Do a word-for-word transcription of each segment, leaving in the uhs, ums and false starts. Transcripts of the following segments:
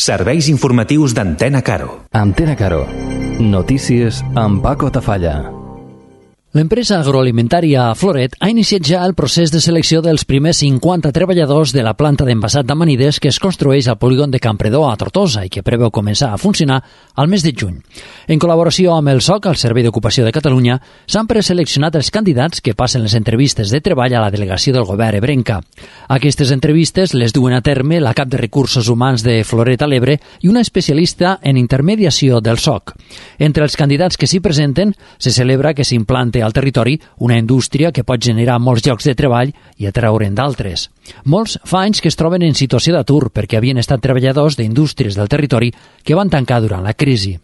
Serveis informatius d'Antena Caro. Antena Caro. Notícies amb Paco Tafalla. L'empresa agroalimentària Floret ha iniciat ja el procés de selecció dels primers cinquanta treballadors de la planta d'envasat d'amanides que es construeix al polígon de Campredó a Tortosa i que preveu començar a funcionar al mes de juny. En col·laboració amb el S O C, el Servei d'Ocupació de Catalunya, s'han preseleccionat els candidats que passen les entrevistes de treball a la delegació del govern ebrenca. Aquestes entrevistes les duen a terme la cap de Recursos Humans de Floret a l'Ebre i una especialista en intermediació del S O C. Entre els candidats que s'hi presenten, se celebra que s'implante al territori una indústria que pot generar molts llocs de treball i atraure'n d'altres. Molts fa anys que es troben en situació d'atur perquè havien estat treballadors d'indústries del territori que van tancar durant la crisi.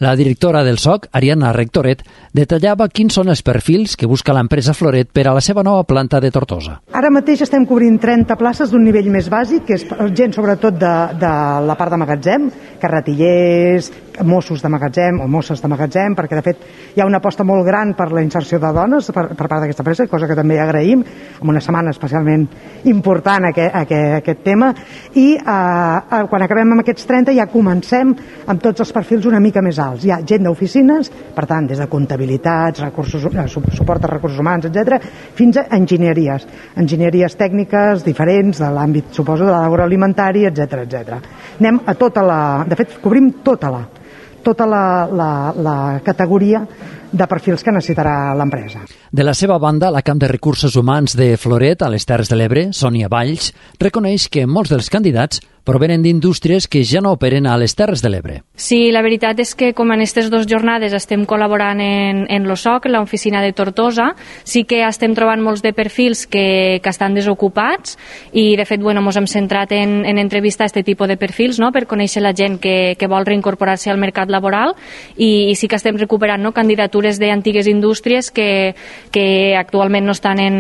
La directora del S O C, Ariadna Rectoret, detallava quins són els perfils que busca l'empresa Floret per a la seva nova planta de Tortosa. Ara mateix estem cobrint trenta places d'un nivell més bàsic, que és gent sobretot de, de la part de magatzem, carretillers, Mossos de magatzem o Mosses de magatzem, perquè de fet hi ha una aposta molt gran per la inserció de dones per, per part d'aquesta empresa, cosa que també agraïm, amb una setmana especialment important aquest, aquest, aquest tema, i eh, quan acabem amb aquests trenta ja comencem amb tots els perfils una mica més alts. Hi ha gent d'oficines, per tant, des de comptabilitats, recursos, suport a recursos humans, etcètera, fins a enginyeries, enginyeries tècniques diferents de l'àmbit, suposo, de l'agroalimentari, etcètera, etcètera. Anem a tota la... De fet, cobrim tota la tota la, la, la categoria de perfils que necessitarà l'empresa. De la seva banda, la cap de Recursos Humans de Floret, a les Terres de l'Ebre, Sònia Valls, reconeix que molts dels candidats provenen d'indústries que ja no operen a les Terres de l'Ebre. Sí, la veritat és que com en aquestes dues jornades estem col·laborant en, en l'O S O C, en l'oficina de Tortosa, sí que estem trobant molts de perfils que, que estan desocupats i de fet bueno, ens hem centrat en, en entrevistar aquest tipus de perfils no? Per conèixer la gent que, que vol reincorporar-se al mercat laboral i, i sí que estem recuperant no? Candidatures d'antigues indústries que, que actualment no estan en,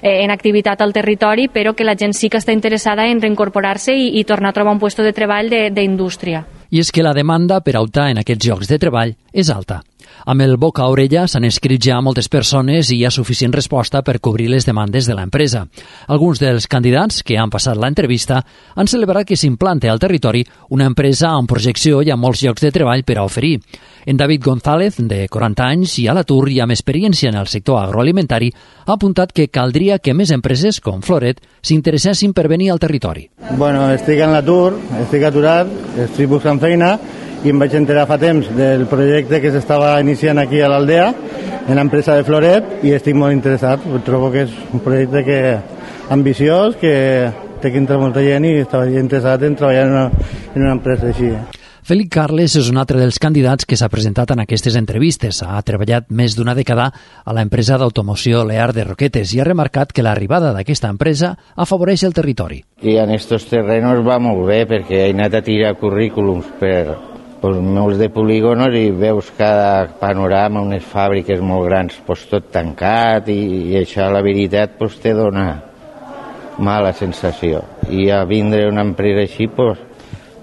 en activitat al territori però que la gent sí que està interessada en reincorporar-se i, i tornar a trobar un lloc de treball d'indústria. I és que la demanda per a optar en aquests llocs de treball és alta. Amb el boca a orella s'han escrit ja moltes persones i hi ha suficient resposta per cobrir les demandes de l'empresa. Alguns dels candidats que han passat l'entrevista han celebrat que s'implante al territori una empresa amb projecció i amb molts llocs de treball per a oferir. En David González, de quaranta anys i a l'atur i amb experiència en el sector agroalimentari, ha apuntat que caldria que més empreses com Floret s'interessessin per venir al territori. Bueno, estic en l'atur, estic aturat, estic buscant feina i em vaig enterar fa temps del projecte que s'estava iniciant aquí a l'Aldea, en l'empresa de Floret, i estic molt interessat. Trobo que és un projecte que ambiciós, que té que entrar molta gent i estava interessat en treballar en una, en una empresa així. Félix Carles és un altre dels candidats que s'ha presentat en aquestes entrevistes. Ha treballat més d'una dècada a l'empresa d'automoció Lear de Roquetes i ha remarcat que l'arribada d'aquesta empresa afavoreix el territori. I en aquests terrenos va molt bé perquè he anat a tirar currículums per pues, molts de polígonos i veus cada panorama, unes fàbriques molt grans, pues, tot tancat i, i això la veritat pues, te dona mala sensació. I a vindre una empresa així, pues,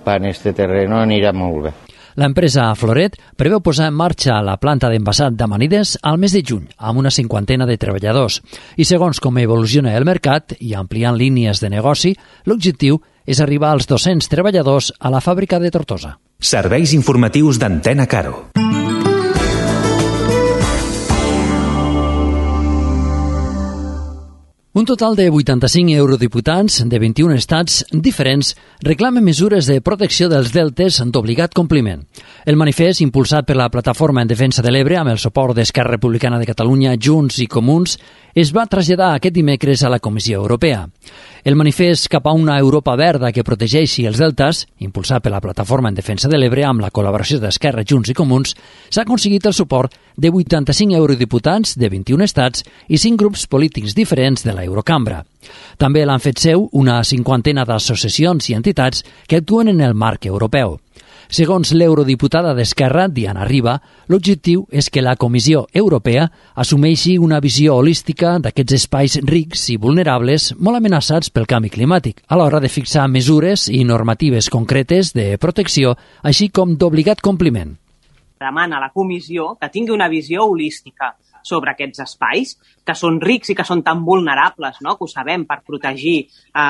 per este terreno anirà molt bé. L'empresa Floret preveu posar en marxa la planta d'envasat d'amanides al mes de juny, amb una cinquantena de treballadors. I segons com evoluciona el mercat i ampliant línies de negoci, l'objectiu és arribar als dos-cents treballadors a la fàbrica de Tortosa. Serveis informatius d'Antena Caro. Un total de vuitanta-cinc eurodiputats de vint-i-un estats diferents reclamen mesures de protecció dels deltes d'obligat compliment. El manifest, impulsat per la Plataforma en Defensa de l'Ebre amb el suport d'Esquerra Republicana de Catalunya, Junts i Comuns, es va traslladar aquest dimecres a la Comissió Europea. El manifest cap a una Europa verda que protegeixi els deltes, impulsat per la Plataforma en Defensa de l'Ebre amb la col·laboració d'Esquerra, Junts i Comuns, s'ha aconseguit el suport de vuitanta-cinc eurodiputats de vint-i-un estats i cinc grups polítics diferents de la Eurocambra. També l'han fet seu una cinquantena d'associacions i entitats que actuen en el marc europeu. Segons l'eurodiputada d'Esquerra, Diana Riba, l'objectiu és que la Comissió Europea assumeixi una visió holística d'aquests espais rics i vulnerables molt amenaçats pel canvi climàtic, a l'hora de fixar mesures i normatives concretes de protecció, així com d'obligat compliment. Demana a la Comissió que tingui una visió holística, sobre aquests espais, que són rics i que són tan vulnerables, no? Que ho sabem, per protegir eh,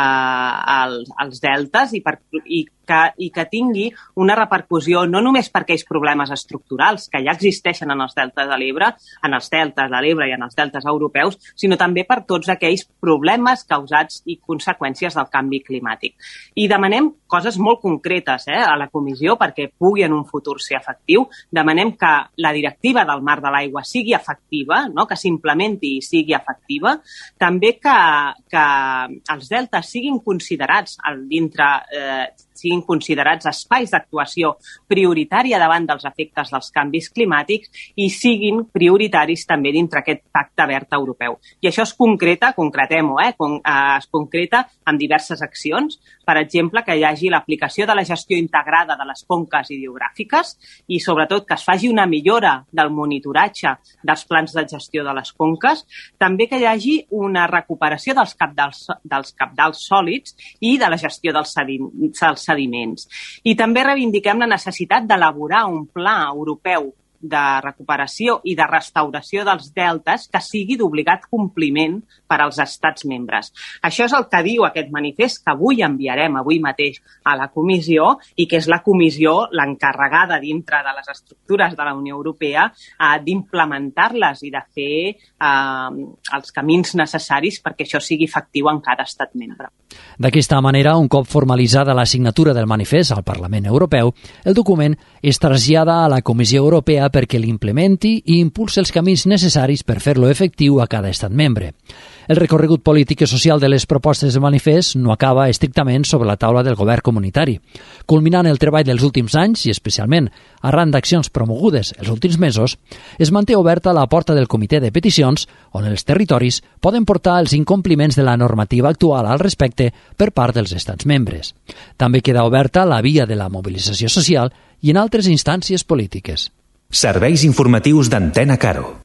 els, els deltes i, per, i, que, i que tingui una repercussió no només per aquells problemes estructurals que ja existeixen en els deltes de l'Ebre, en els deltes de l'Ebre i en els deltes europeus, sinó també per tots aquells problemes causats i conseqüències del canvi climàtic. I demanem coses molt concretes eh, a la comissió perquè pugui en un futur ser efectiu. Demanem que la directiva del Mar de l'Aigua sigui efectiva, no? Que s'implementi i sigui efectiva. També que, que els deltes siguin considerats dintre, eh, siguin considerats espais d'actuació prioritària davant dels efectes dels canvis climàtics i siguin prioritaris també dintre aquest pacte verd europeu. I això es concreta, concretem-ho, eh, con, eh, es concreta amb diverses accions. Per exemple, que hi hagi l'aplicació de la gestió integrada de les conques hidrogràfiques i, sobretot, que es faci una millora del monitoratge dels plans de gestió de les conques. També que hi hagi una recuperació dels cabdals, dels cabdals sòlids i de la gestió dels, sedim, dels sediments. I també reivindiquem la necessitat d'elaborar un pla europeu de recuperació i de restauració dels deltes que sigui d'obligat compliment per als estats membres. Això és el que diu aquest manifest que avui enviarem avui mateix a la comissió i que és la comissió l'encarregada dintre de les estructures de la Unió Europea eh, d'implementar-les i de fer eh, els camins necessaris perquè això sigui efectiu en cada estat membre. D'aquesta manera, un cop formalitzada la signatura del manifest al Parlament Europeu, el document es trasllada a la Comissió Europea perquè l'implementi i impulsi els camins necessaris per fer-lo efectiu a cada estat membre. El recorregut polític i social de les propostes del manifest no acaba estrictament sobre la taula del govern comunitari. Culminant el treball dels últims anys, i especialment arran d'accions promogudes els últims mesos, es manté oberta la porta del comitè de peticions, on els territoris poden portar els incompliments de la normativa actual al respecte per part dels estats membres. També queda oberta la via de la mobilització social i en altres instàncies polítiques. Serveis informatius d'Antena Caro.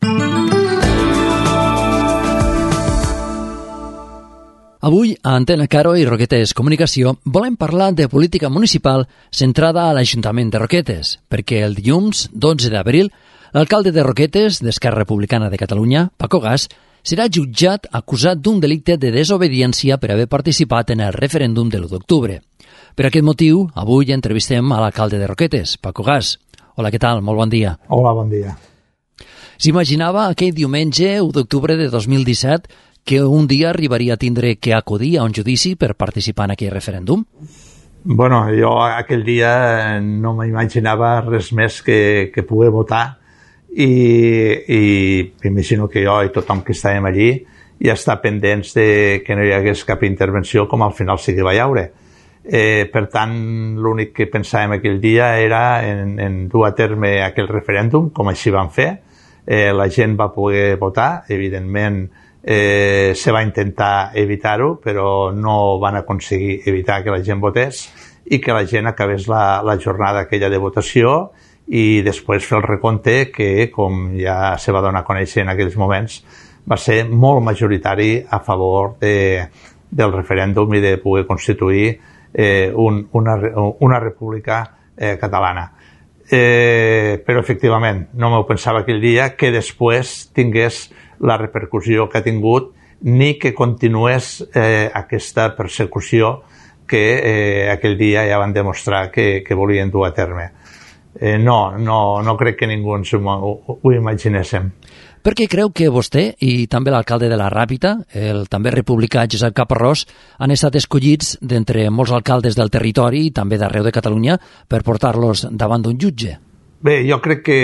Avui, a Antena Caro i Roquetes Comunicació, volem parlar de política municipal centrada a l'Ajuntament de Roquetes, perquè el dilluns dotze d'abril, l'alcalde de Roquetes, d'Esquerra Republicana de Catalunya, Paco Gas, serà jutjat acusat d'un delicte de desobediència per haver participat en el referèndum de l'u d'octubre. Per aquest motiu, avui entrevistem a l'alcalde de Roquetes, Paco Gas. Hola, què tal? Molt bon dia. Hola, bon dia. S'imaginava aquell diumenge, u d'octubre de dos mil disset, que un dia arribaria a tindre que acudir a un judici per participar en aquell referèndum? Bueno, jo aquell dia no m'imaginava res més que, que poder votar i, i m'imagino que jo i tothom que estàvem allí ja està pendents de que no hi hagués cap intervenció com al final sí que va haure. Eh, per tant, l'únic que pensàvem aquell dia era en, en dur a terme aquell referèndum, com així vam fer. Eh, la gent va poder votar, evidentment eh, se va intentar evitar-ho, però no van aconseguir evitar que la gent votés i que la gent acabés la, la jornada aquella de votació i després fer el recompte que, com ja se va donar a conèixer en aquells moments, va ser molt majoritari a favor de, del referèndum i de poder constituir Eh, un, una, una república eh, catalana. Eh, però, efectivament, no m'ho pensava aquell dia que després tingués la repercussió que ha tingut ni que continués eh, aquesta persecució que eh, aquell dia ja van demostrar que, que volien dur a terme. Eh, no, no, no crec que ningú ens ho, ho, ho imaginéssim. Per què creu que vostè i també l'alcalde de la Ràpita, el també republicà Josep Caparrós, han estat escollits d'entre molts alcaldes del territori i també d'arreu de Catalunya per portar-los davant d'un jutge? Bé, jo crec que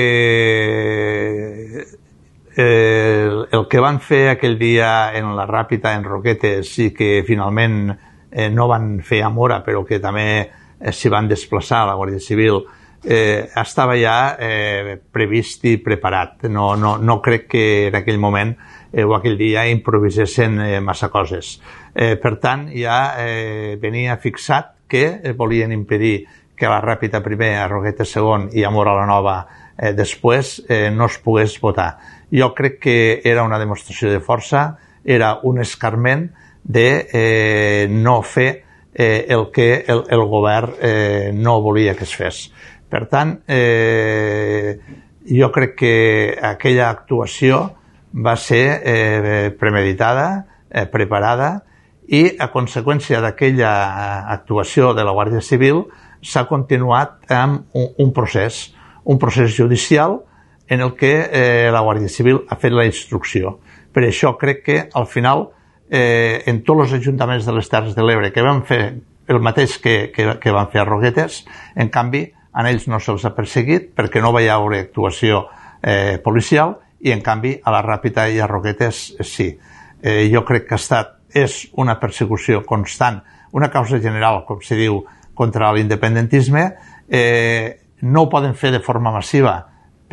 el, el que van fer aquell dia en la Ràpita, en Roquetes, i que finalment eh, no van fer a Mora, però que també eh, s'hi van desplaçar a la Guàrdia Civil, Eh, estava ja eh, previst i preparat. No, no, no crec que en aquell moment eh, o aquell dia improvisessin eh, massa coses. Eh, per tant, ja eh, venia fixat que eh, volien impedir que a la Ràpita primer, a Roquetes segon i a Mora la Nova eh, després eh, no es pogués votar. Jo crec que era una demostració de força, era un escarment de eh, no fer eh, el que el, el govern eh, no volia que es fes. Per tant, eh, jo crec que aquella actuació va ser eh, premeditada, eh, preparada, i a conseqüència d'aquella actuació de la Guàrdia Civil s'ha continuat amb un, un procés, un procés judicial en el que eh, la Guàrdia Civil ha fet la instrucció. Per això crec que al final eh, en tots els ajuntaments de les Terres de l'Ebre que van fer el mateix que, que, que van fer a Roquetes, en canvi a ells no se'ls ha perseguit perquè no va haver actuació eh, policial i en canvi a la Ràpita i a Roquetes sí. Eh, jo crec que ha estat, és una persecució constant, una causa general, com se diu, contra l'independentisme. Eh, no ho poden fer de forma massiva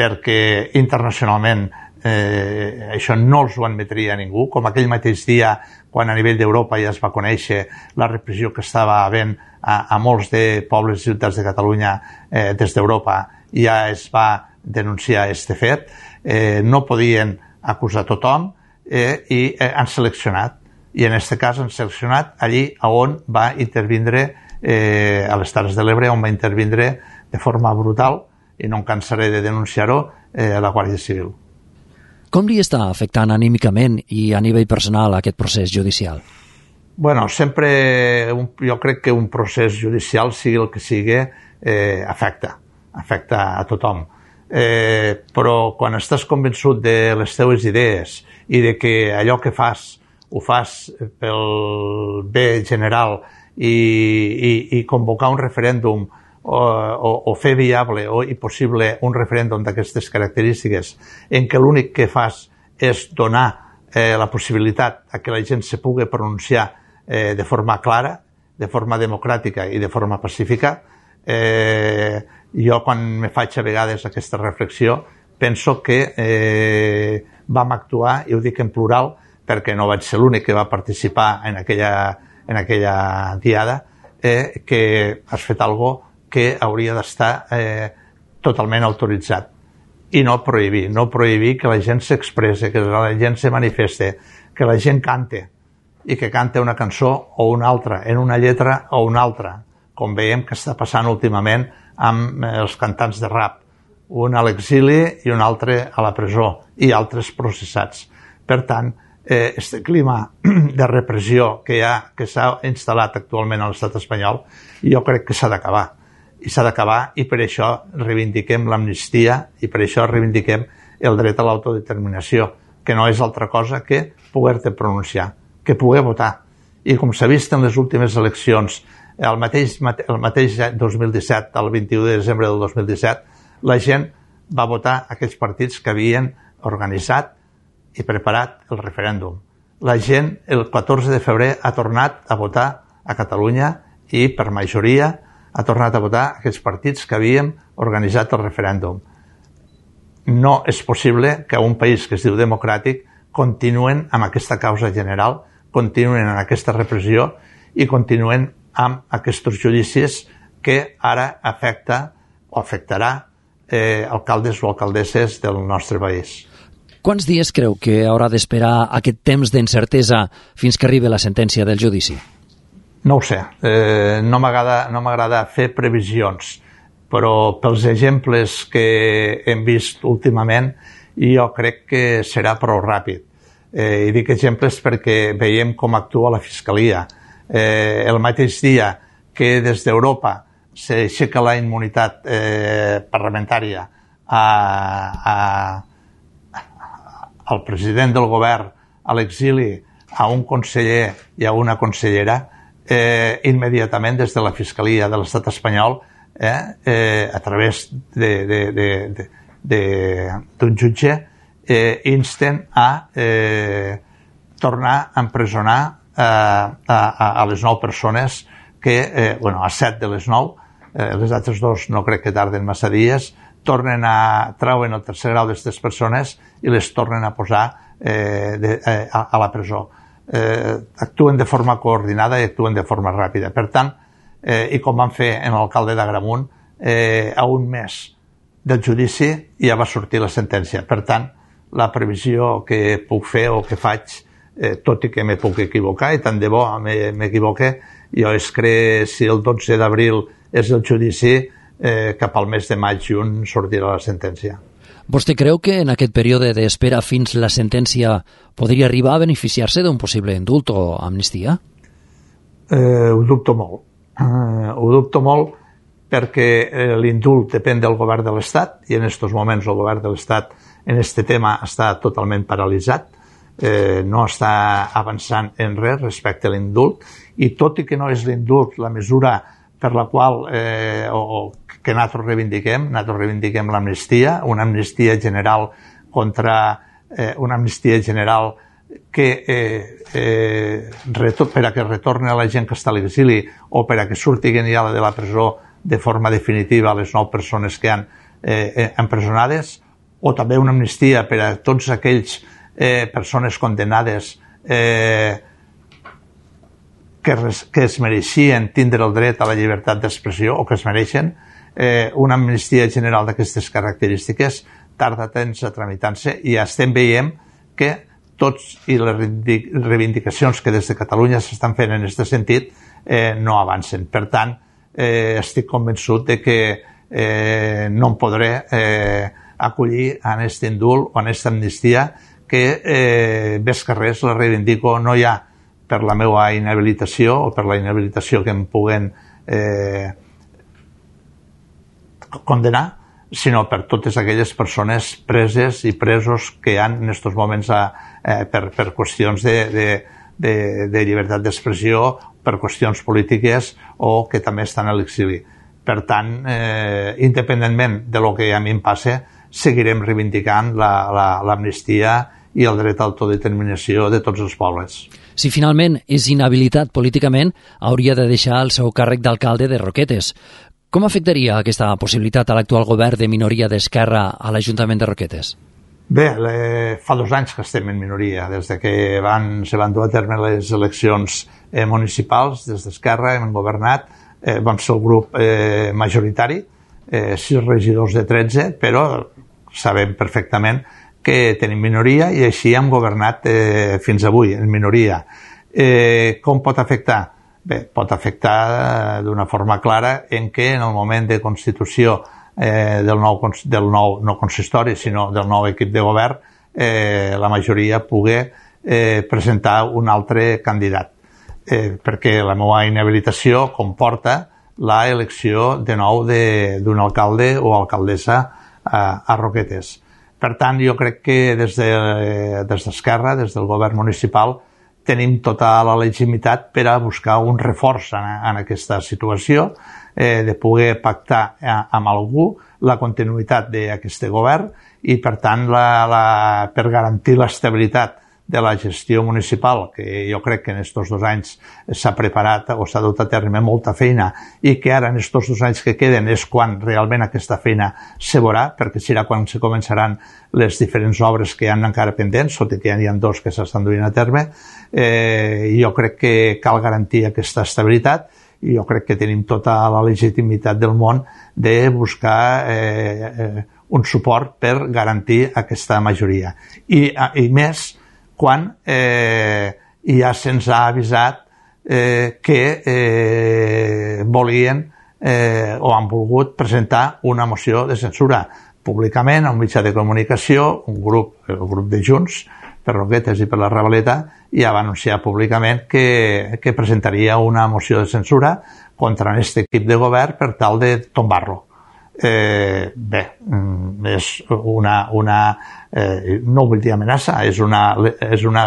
perquè internacionalment eh, això no els ho admetria ningú, com aquell mateix dia quan a nivell d'Europa ja es va conèixer la repressió que estava havent a, a molts de pobles i ciutats de Catalunya eh, des d'Europa, ja es va denunciar este fet. Eh, no podien acusar tothom eh, i eh, han seleccionat, i en aquest cas han seleccionat allí on va intervindre eh, a les Terres de l'Ebre, on va intervindre de forma brutal, i no em cansaré de denunciar-ho, eh, a la Guàrdia Civil. Com li està afectant anímicament i a nivell personal aquest procés judicial? Bueno, sempre, un, jo crec que un procés judicial, sigui el que sigui, eh, afecta, afecta a tothom. Eh, però quan estàs convençut de les teves idees i de que allò que fas ho fas pel bé general i, i, i convocar un referèndum O, o, o fer viable o i possible un referèndum d'aquestes característiques en què l'únic que fas és donar eh, la possibilitat a que la gent se pugui pronunciar eh, de forma clara, de forma democràtica i de forma pacífica. Eh, jo quan me faig a vegades aquesta reflexió penso que eh, vam actuar, i ho dic en plural perquè no vaig ser l'únic que va participar en aquella, en aquella diada, eh, que has fet alguna que hauria d'estar eh, totalment autoritzat i no prohibir, no prohibir que la gent s'expresse, que la gent se manifeste, que la gent cante i que cante una cançó o una altra, en una lletra o una altra, com veiem que està passant últimament amb els cantants de rap, un a l'exili i un altre a la presó i altres processats. Per tant, eh, este clima de repressió que hi ha, que s'ha instal·lat actualment a l'estat espanyol, jo crec que s'ha d'acabar. I s'ha d'acabar, i per això reivindiquem l'amnistia i per això reivindiquem el dret a l'autodeterminació, que no és altra cosa que poder-te pronunciar, que poder votar. I com s'ha vist en les últimes eleccions, el mateix, el mateix dos mil disset, el vint-i-u de desembre del dos mil disset, la gent va votar aquells partits que havien organitzat i preparat el referèndum. La gent, el catorze de febrer, ha tornat a votar a Catalunya i, per majoria, ha tornat a votar aquells partits que havíem organitzat el referèndum. No és possible que un país que es diu democràtic continuen amb aquesta causa general, continuen amb aquesta repressió i continuen amb aquests judicis que ara afecta o afectarà eh, alcaldes o alcaldesses del nostre país. Quants dies creu que haurà d'esperar aquest temps d'incertesa fins que arribi la sentència del judici? No ho sé, eh, no m'agrada no m'agrada fer previsions, però pels exemples que hem vist últimament jo crec que serà prou ràpid. Eh, I dic exemples perquè veiem com actua la Fiscalia. Eh, el mateix dia que des d'Europa s'aixeca la immunitat eh, parlamentària a, a, al president del govern a l'exili, a un conseller i a una consellera, Eh, immediatament des de la Fiscalia de l'Estat espanyol, eh, eh, a través d'un jutge, eh, insten a eh, tornar a empresonar eh, a, a, a les nou persones que, eh, bueno, a set de les nou, eh, les altres dos no crec que tarden massa dies, tornen a trauen el tercer grau d'aquestes persones i les tornen a posar eh, de, eh, a, a la presó. Eh, actuen de forma coordinada i actuen de forma ràpida. Per tant, eh, i com van fer en l'alcalde d'Agramunt, eh, a un mes del judici ja va sortir la sentència. Per tant, la previsió que puc fer o que faig, eh, tot i que me puc equivocar, i tant de bo m'equivoque, jo és que si el dotze d'abril és el judici, eh, cap al mes de maig juny sortirà la sentència. Vostè creu que en aquest període d'espera fins la sentència podria arribar a beneficiar-se d'un possible indult o amnistia? Eh, ho dubto molt. Eh, ho dubto molt perquè eh, l'indult depèn del govern de l'Estat i en aquests moments el govern de l'Estat en aquest tema està totalment paralitzat, eh, no està avançant en res respecte a l'indult, i tot i que no és l'indult la mesura per la qual eh, o, que nosaltres reivindiquem, nosaltres reivindiquem l'amnistia, una amnistia general contra eh, una amnistia general que eh, eh, per a que retorni a la gent que està a l'exili o per a que surtin ja de la presó de forma definitiva les nou persones que han eh, empresonades, o també una amnistia per a tots aquells eh, persones condemnades eh, que, res, que es mereixien tindre el dret a la llibertat d'expressió o que es mereixen. Eh, una amnistia general d'aquestes característiques tarda temps a tramitar-se i ja estem veient que tots i les reivindicacions que des de Catalunya s'estan fent en aquest sentit eh, no avancen. Per tant, eh, estic convençut de que eh, no em podré eh, acollir a aquest indult o a aquesta amnistia que eh, més que res la reivindico no ja per la meva inhabilitació o per la inhabilitació que em puguen eh, condenar, sinó per totes aquelles persones preses i presos que hi ha en aquests moments a, eh, per, per qüestions de, de, de, de llibertat d'expressió, per qüestions polítiques o que també estan a l'exili. Per tant, eh, independentment de lo que a mi em passe, seguirem reivindicant l'amnistia la, la, i el dret a l'autodeterminació de tots els pobles. Si finalment és inhabilitat políticament, hauria de deixar el seu càrrec d'alcalde de Roquetes. Com afectaria aquesta possibilitat a l'actual govern de minoria d'Esquerra a l'Ajuntament de Roquetes? Bé, le, fa dos anys que estem en minoria, des de que van, se van dur a terme les eleccions eh, municipals, des d'Esquerra hem governat, eh, vam ser el grup eh, majoritari, eh, sis regidors de tretze, però sabem perfectament que tenim minoria i així hem governat eh, fins avui, en minoria. Eh, com pot afectar? Bé, pot afectar d'una forma clara en què en el moment de constitució eh, del, nou, del nou, no consistori, sinó del nou equip de govern, eh, la majoria pugui eh, presentar un altre candidat. Eh, perquè la meva inhabilitació comporta la elecció de nou d'un alcalde o alcaldessa a, a Roquetes. Per tant, jo crec que des d'Esquerra, de, des del govern municipal, tenim tota la legitimitat per a buscar un reforç en, en aquesta situació, eh, de poder pactar amb algú la continuïtat d'aquest govern i, per tant, la, la, per garantir l'estabilitat de la gestió municipal, que jo crec que en aquests dos anys s'ha preparat o s'ha dut a terme molta feina i que ara en aquests dos anys que queden és quan realment aquesta feina se veurà, perquè serà quan se començaran les diferents obres que hi ha encara pendents, tot i que hi ha dos que s'estan duint a terme. Eh, jo crec que cal garantir aquesta estabilitat i jo crec que tenim tota la legitimitat del món de buscar eh, eh, un suport per garantir aquesta majoria. I, i més quan eh, ja se'ns ha avisat eh, que eh, volien eh, o han volgut presentar una moció de censura públicament a un mitjà de comunicació, un grup, el grup de Junts, per Roquetes i per la Ravaleta, ja va anunciar públicament que, que presentaria una moció de censura contra aquest equip de govern per tal de tombar-lo. Eh, bé, és una, una eh, no vull dir amenaça, és una, és una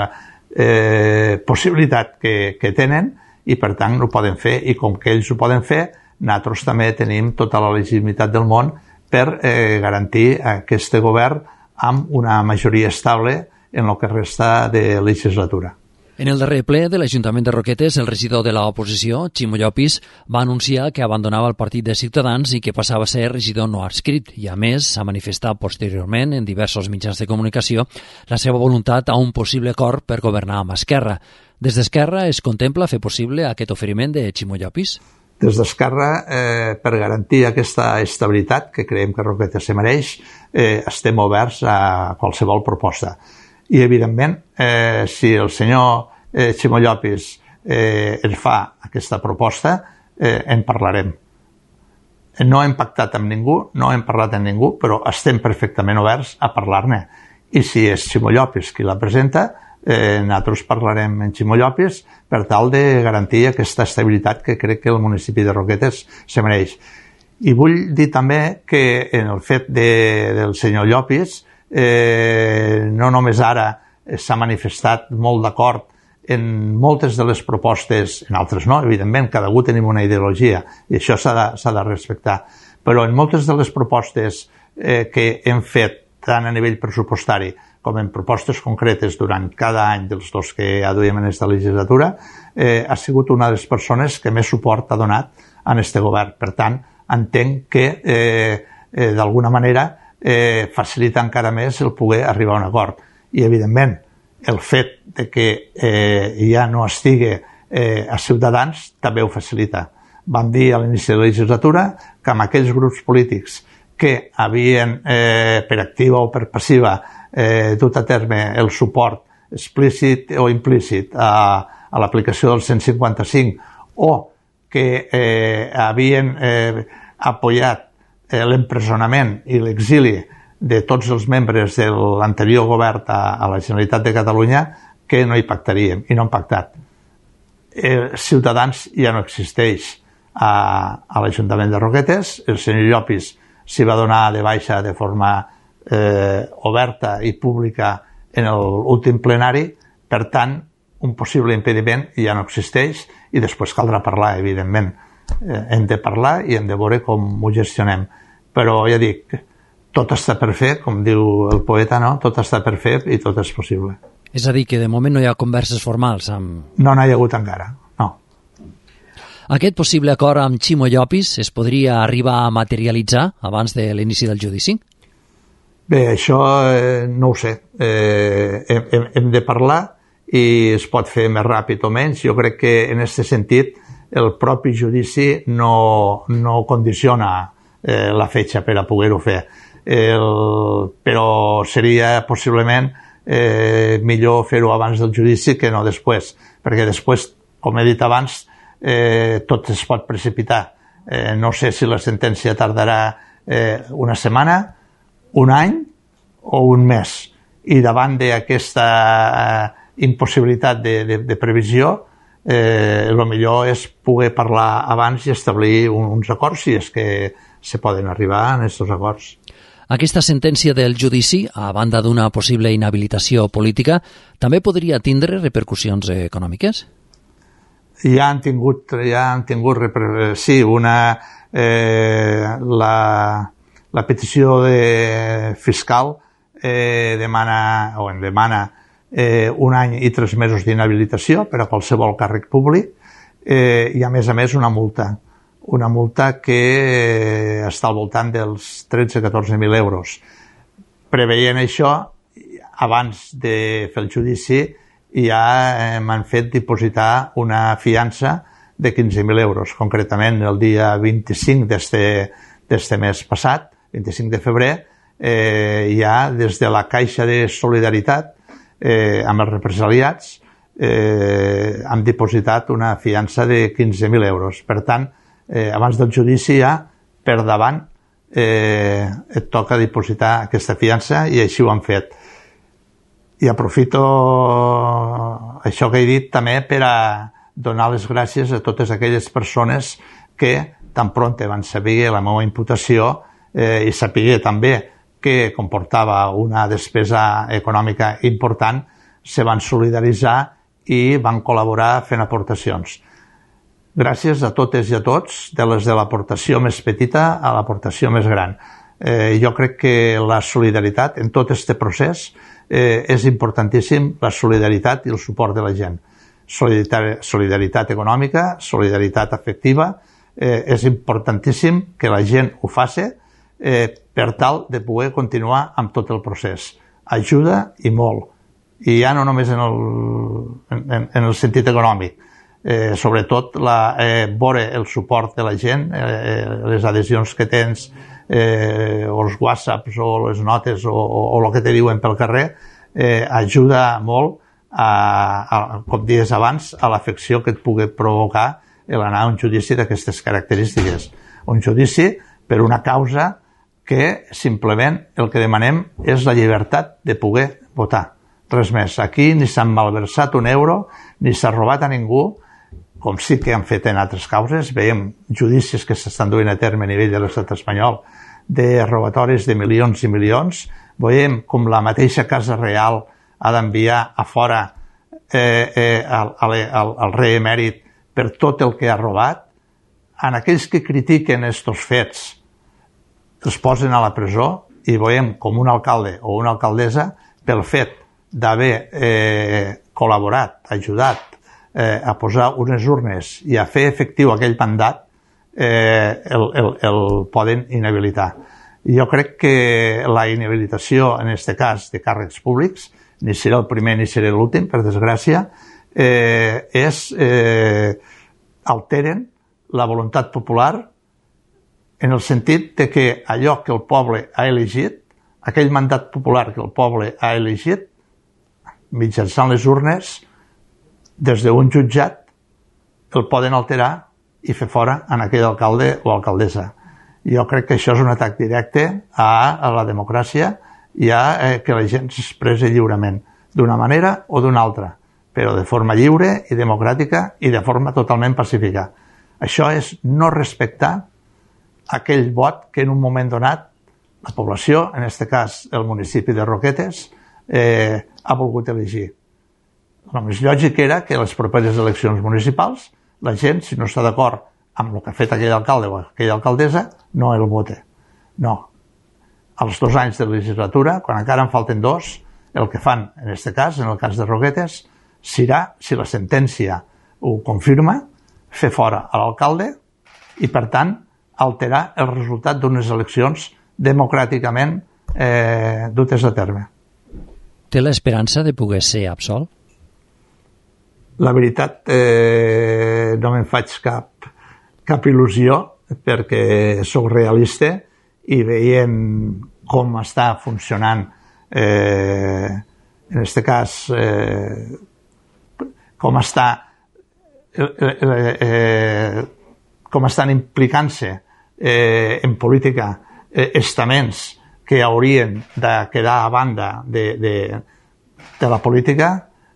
eh, possibilitat que, que tenen i per tant ho poden fer, i com que ells ho poden fer, nosaltres també tenim tota la legitimitat del món per eh, garantir aquest govern amb una majoria estable en el que resta de legislatura. En el darrer ple de l'Ajuntament de Roquetes, el regidor de l'oposició, Ximo Llopis, va anunciar que abandonava el partit de Ciutadans i que passava a ser regidor no adscrit i, a més, s'ha manifestat posteriorment en diversos mitjans de comunicació la seva voluntat a un possible acord per governar amb Esquerra. Des d'Esquerra es contempla fer possible aquest oferiment de Ximo Llopis? Des d'Esquerra, eh, per garantir aquesta estabilitat que creiem que Roquetes se mereix, eh, estem oberts a qualsevol proposta. I, evidentment, eh, si el senyor eh, Ximo Llopis eh, ens fa aquesta proposta, eh, en parlarem. No hem pactat amb ningú, no hem parlat amb ningú, però estem perfectament oberts a parlar-ne. I si és Ximo Llopis qui la presenta, eh, nosaltres parlarem amb Ximo Llopis per tal de garantir aquesta estabilitat que crec que el municipi de Roquetes se mereix. I vull dir també que en el fet de, del senyor Llopis, eh, no només ara s'ha manifestat molt d'acord en moltes de les propostes, en altres no, evidentment, cada un tenim una ideologia i això s'ha de, s'ha de respectar, però en moltes de les propostes eh, que hem fet tant a nivell pressupostari com en propostes concretes durant cada any dels dos que ja duiem en aquesta legislatura, eh, ha sigut una de les persones que més suport ha donat a aquest govern. Per tant, entenc que eh, eh, d'alguna manera eh, facilita encara més el poder arribar a un acord. I, evidentment, el fet de que eh, ja no estigui eh, a Ciutadans també ho facilita. Vam dir a l'inici de la legislatura que amb aquells grups polítics que havien, eh, per activa o per passiva, eh, dut a terme el suport explícit o implícit a, a l'aplicació del cent cinquanta cinc o que eh, havien eh, apoyat eh, l'empresonament i l'exili de tots els membres de l'anterior govern a, a la Generalitat de Catalunya, que no hi pactaríem, i no han pactat. Eh, Ciutadans ja no existeix a, a l'Ajuntament de Roquetes, el senyor Llopis s'hi va donar de baixa de forma eh, oberta i pública en l'últim plenari, per tant, un possible impediment ja no existeix i després caldrà parlar, evidentment. Eh, hem de parlar i hem de veure com ho gestionem. Però ja dic, tot està per fer, com diu el poeta, no? Tot està per fer i tot és possible. És a dir, que de moment no hi ha converses formals amb... No n'hi ha hagut encara, no. Aquest possible acord amb Ximo Llopis es podria arribar a materialitzar abans de l'inici del judici? Bé, això eh, no ho sé. Eh, hem, hem de parlar i es pot fer més ràpid o menys. Jo crec que en aquest sentit el propi judici no, no condiciona eh, la fetge per a poder-ho fer. El, però seria possiblement eh, millor fer-ho abans del judici que no després, perquè després, com he dit abans, eh, tot es pot precipitar. Eh, no sé si la sentència tardarà eh, una setmana, un any o un mes. I davant d'aquesta eh, impossibilitat de, de, de previsió, eh, el millor és poder parlar abans i establir uns acords, si és que se poden arribar a aquests acords. Aquesta sentència del judici, a banda d'una possible inhabilitació política, també podria tindre repercussions econòmiques? Ja han tingut, ja han tingut sí, una, eh, la, la petició de fiscal eh, demana, o en demana eh, un any i tres mesos d'inhabilitació per a qualsevol càrrec públic eh, i, a més a més, una multa. Una multa que està al voltant dels tretze a catorze mil euros. Preveient això, abans de fer el judici, ja eh, m'han fet dipositar una fiança de quinze mil euros. Concretament, el dia vint-i-cinc d'este mes passat, vint-i-cinc de febrer, eh, ja des de la Caixa de Solidaritat eh, amb els represaliats eh, han dipositat una fiança de quinze mil euros. Per tant, eh, abans del judici ja, per davant, eh, et toca dipositar aquesta fiança i així ho han fet. I aprofito això que he dit també per a donar les gràcies a totes aquelles persones que tan pront van saber la meva imputació eh, i saber també que comportava una despesa econòmica important, se van solidaritzar i van col·laborar fent aportacions. Gràcies a totes i a tots, de les de l'aportació més petita a l'aportació més gran. Eh, jo crec que la solidaritat en tot aquest procés eh, és importantíssim, la solidaritat i el suport de la gent. Solidaritat, solidaritat econòmica, solidaritat afectiva, eh, és importantíssim que la gent ho faci eh, per tal de poder continuar amb tot el procés. Ajuda i molt. I ja no només en el, en, en el sentit econòmic, eh, sobretot la, eh, veure el suport de la gent, eh, les adhesions que tens, eh, o els whatsapps o les notes o, o, o el que te diuen pel carrer, eh, ajuda molt a, a, com dies abans, a l'afecció que et pugui provocar l'anar a un judici d'aquestes característiques. un judici per una causa que simplement el que demanem és la llibertat de poder votar. Res més. Aquí ni s'han malversat un euro, ni s'ha robat a ningú, com sí que han fet en altres causes. Veiem judicis que s'estan duent a terme a nivell de l'estat espanyol de robatoris de milions i milions. Veiem com la mateixa Casa Reial ha d'enviar a fora eh, eh, al, al, al rei emèrit per tot el que ha robat. En aquells que critiquen aquests fets els posen a la presó i veiem com un alcalde o una alcaldessa, pel fet d'haver eh, col·laborat, ajudat eh, a posar unes urnes i a fer efectiu aquell mandat, eh, el, el, el poden inhabilitar. Jo crec que la inhabilitació, en aquest cas, de càrrecs públics, ni serà el primer ni serà l'últim, per desgràcia, eh, és eh, alteren la voluntat popular en el sentit de que allò que el poble ha elegit, aquell mandat popular que el poble ha elegit, mitjançant les urnes, des d'un jutjat, el poden alterar i fer fora en aquell alcalde o alcaldessa. Jo crec que això és un atac directe a, a la democràcia i a eh, que la gent s'expressi lliurement, d'una manera o d'una altra, però de forma lliure i democràtica i de forma totalment pacífica. Això és no respectar aquell vot que en un moment donat la població, en aquest cas el municipi de Roquetes, eh, ha volgut elegir. El més lògic era que a les properes eleccions municipals la gent, si no està d'acord amb el que ha fet aquell alcalde o aquella alcaldessa, no el vote. No. Als dos anys de legislatura, quan encara en falten dos, el que fan, en aquest cas, en el cas de Roquetes, serà, si la sentència ho confirma, fer fora a l'alcalde i, per tant, alterar el resultat d'unes eleccions democràticament eh, dutes a terme. Té l'esperança de poder ser absolt? La veritat, eh, no me'n faig cap, cap il·lusió, perquè sóc realista i veient com està funcionant, eh, en aquest cas, eh, com està eh, eh, com estan implicant-se eh, en política eh, estaments que haurien de quedar a banda de, de, de la política,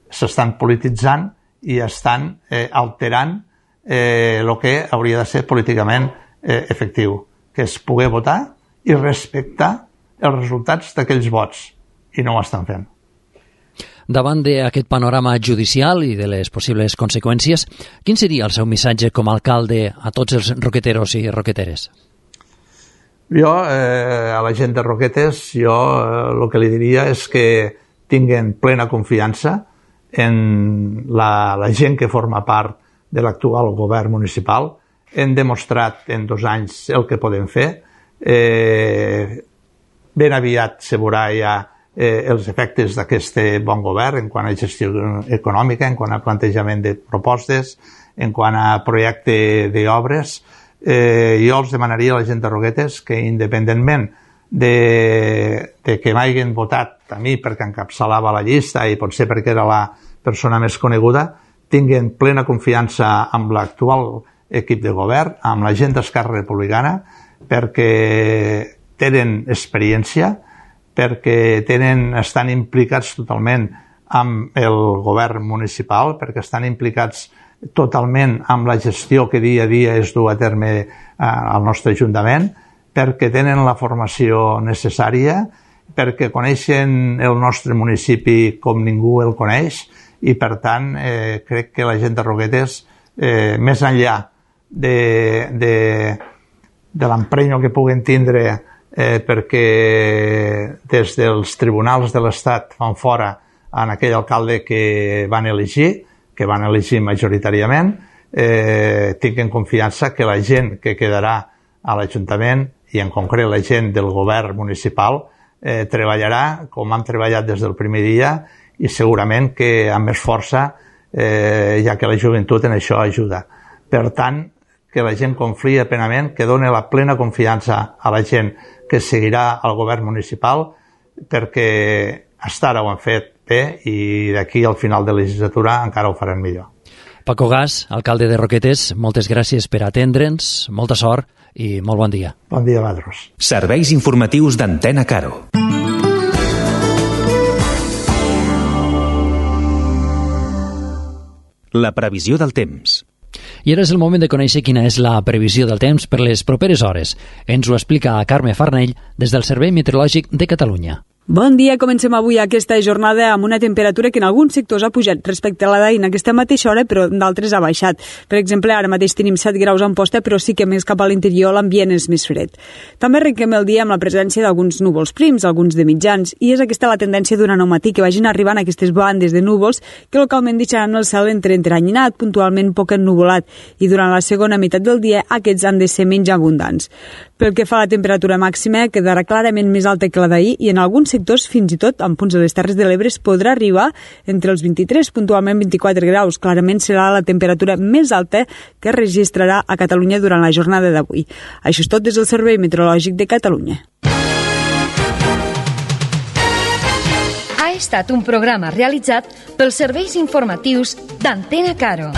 s'estan polititzant i estan eh, alterant eh, el que hauria de ser políticament eh, efectiu, que és poder votar i respectar els resultats d'aquells vots, i no ho estan fent. Davant d'aquest panorama judicial i de les possibles conseqüències, quin seria el seu missatge com a alcalde a tots els roqueteros i roqueteres? Jo, eh, a la gent de Roquetes, jo eh, el que li diria és que tinguen plena confiança en la, la gent que forma part de l'actual govern municipal. Hem demostrat en dos anys el que podem fer. Eh, ben aviat se veurà ja eh, els efectes d'aquest bon govern en quant a gestió econòmica, en quant a plantejament de propostes, en quant a projecte d'obres. Eh, jo els demanaria a la gent de Roquetes que, independentment de, de que m'hagin votat a mi perquè encapçalava la llista i potser perquè era la persona més coneguda, tinguin plena confiança amb l'actual equip de govern, amb la gent d'Esquerra Republicana, perquè tenen experiència, perquè tenen, estan implicats totalment amb el govern municipal, perquè estan implicats totalment amb la gestió que dia a dia es du a terme eh, al nostre Ajuntament, perquè tenen la formació necessària, perquè coneixen el nostre municipi com ningú el coneix i, per tant, eh, crec que la gent de Roquetes, eh, més enllà de, de, de l'emprenyo que puguen tindre eh, perquè des dels tribunals de l'Estat fan fora en aquell alcalde que van elegir, que van elegir majoritàriament, eh, tinguin confiança que la gent que quedarà a l'Ajuntament i en concret la gent del govern municipal eh, treballarà com han treballat des del primer dia i segurament que amb més força, eh, ja que la joventut en això ajuda. Per tant, que la gent confia plenament, que doni la plena confiança a la gent que seguirà al govern municipal, perquè fins ara ho han fet bé i d'aquí al final de la legislatura encara ho faran millor. Paco Gas, alcalde de Roquetes, moltes gràcies per atendre'ns, molta sort i molt bon dia. Bon dia, Badros. Serveis informatius d'Antena Caro. La previsió del temps. I ara és el moment de conèixer quina és la previsió del temps per les properes hores. Ens ho explica Carme Farnell des del Servei Meteorològic de Catalunya. Bon dia, comencem avui aquesta jornada amb una temperatura que en alguns sectors ha pujat respecte a la d'ahir en aquesta mateixa hora, però d'altres ha baixat. Per exemple, ara mateix tenim set graus a Amposta, però sí que més cap a l'interior l'ambient és més fred. També arrenquem el dia amb la presència d'alguns núvols prims, alguns de mitjans, i és aquesta la tendència durant el matí, que vagin arribant aquestes bandes de núvols que localment deixaran el cel entre entranyinat, puntualment poc ennuvolat, i durant la segona meitat del dia aquests han de ser menys abundants. Pel que fa a la temperatura màxima, quedarà clarament més alta que la d'ahir i en alguns sectors, fins i tot en punts de les Terres de l'Ebre, es podrà arribar entre els vint-i-tres, puntualment vint-i-quatre graus. Clarament serà la temperatura més alta que es registrarà a Catalunya durant la jornada d'avui. Això és tot des del Servei Meteorològic de Catalunya. Ha estat un programa realitzat pels serveis informatius d'Antena Caro.